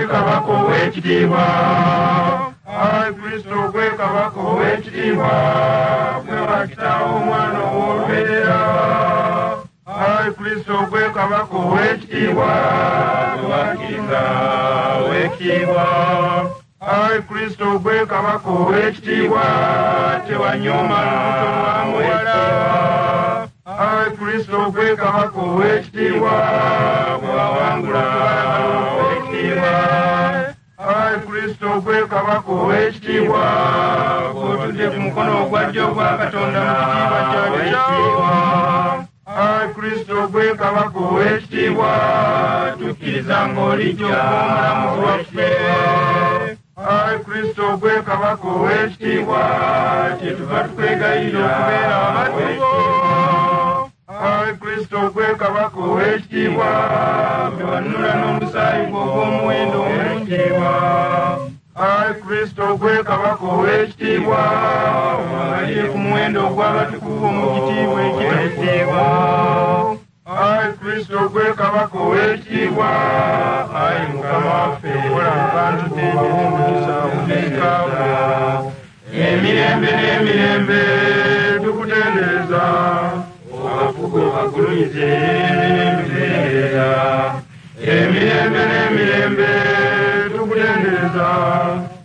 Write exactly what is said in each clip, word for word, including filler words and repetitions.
gwe kabaka ow'ekitiibwa. Ayi Kristo gwe kabaka ow'ekitiibwa, gwe wa Kitaawo Omwana ow'olubeerera. Ayi Kristo gwe kabaka ow'ekitiibwa, gwe wakkiriza ow'ekitiibwa. Ayi Kristo gwe kabaka ow'ekitiibwa, tewanyooma lubuto lwa muwala. Ayi Kristo gwe kabaka ow'ekitiibwa, gwe wawangula ow'ekitiibwa. Ayi Kristo gwe kabaka ow'ekitiibwa, gw'otudde ku mukono ogwa ddyo ogwa Katonda mu kitiibwa kya Kitaawo. Ayi Kristo gwe kabaka ow'ekitiibwa, tukkiriza ng'olijja okuba omulamuzi waffe. Ayi Kristo gwe kabaka ow'ekitiibwa, kyetuva tukwegayirira okubeera abaddu bo. Ayi Kristo gwe kabaka ow'ekitiibwa, gwe wanunula n'omusaayi gwo ogw'omuwendo omungi. Ayi Kristo gwe kabaka ow'ekitiibwa, obabalire ku muwendo ogw'abatukuvu mu kitiibwa ekitaggwaawo. Ayi Kristo gwe kabaka ow'ekitiibwa, ayi Mukama waffe, Kola abantu bo omukisa obusika bwo. Emirembe n'emirembe tukutendereza, abafugu obagulumize tukutendereza. Emirembe n'emirembe tukutendereza,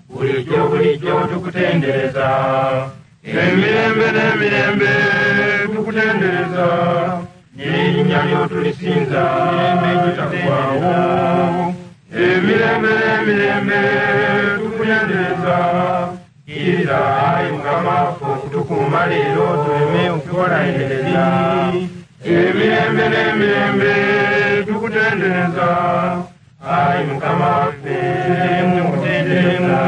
bulijjo bulijjo tukutendereza. Emirembe n'emirembe tukutendereza, n'erinnya lyo tulisinza Emirembe egitaggwaawo. Emirembe n'emirembe tukutendereza. Kkiriza ayi Mukama waffe okutukuuma leero tuleme okukola ebibi. Emirembe n'emirembe tukutendereza, ayi Mukama waffe tukutendereza.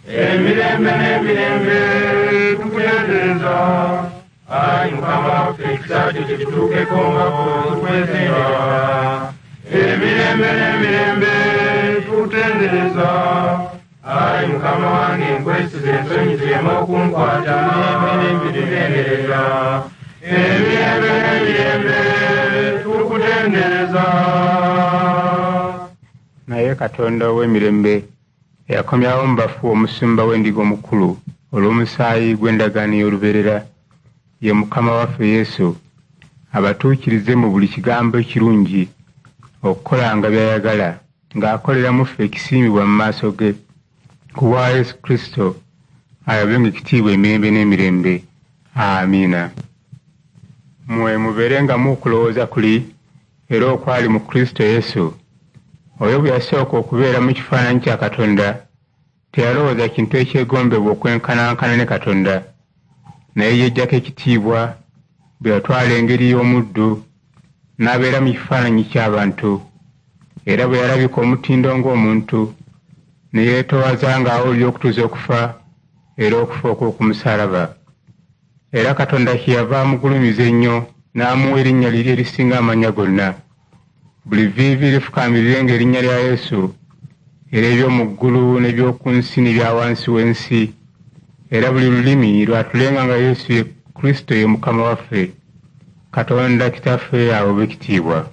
Emirembe n'emirembe tukutendereza, ayi Mukama waffe ekisa kyo kitutuukeko nga tukwetendereza. Emirembe n'emirembe tukutendereza, ayi Mukama wange nkwesize ensonyi zireme okunkwata. Tukutendereza. Emirembe n'emirembe tukutendereza. Naye Katonda ow'emirembe eyakomyawo mu bafu omusumba w'endiga omukulu olw'omusaayi gw'endagaano ey'olubeerera, ye Mukama waffe Yesu, abatuukirize mu buli kigambo ekirungi okukolanga by'ayagala, ng'akolera mu ffe ekisiimibwa mu maaso ge, ku bwa Yesu Kristo ayabenga ekitiibwa emirembe n'emirembe. Amiina. Mmwe mubeerengamu okulowooza kuli era okwali mu Kristo Yesu. Oyo bwe yasooka okubeera mu kifaananyi kya Katonda, teyalowooza kintu ekyegombebwa okwenkanankana ne Katonda, naye yeggyako ekitiibwa bwe yatwala engeri y'omuddu n'abeera mu kifaananyi ky'abantu. Era bwe yalabika omutindo ng'omuntu, ne yeetoowaza ng'awulira okutuusa okufa, era okufa okw'oku musaalaba. Era Katonda kyeyava amugulumiza ennyo n'amuwa erinnya liri erisinga amannya gonna. Buli vviivi lifukaamirirenga erinnya lya Yesu, era eby'omu ggulu n'eby'oku nsi n'ebya wansi w'ensi. Era buli lulimi lwatulenga nga Yesu ye Kristo ye Mukama waffe, Katonda Kitaffe aweebwe ekitiibwa.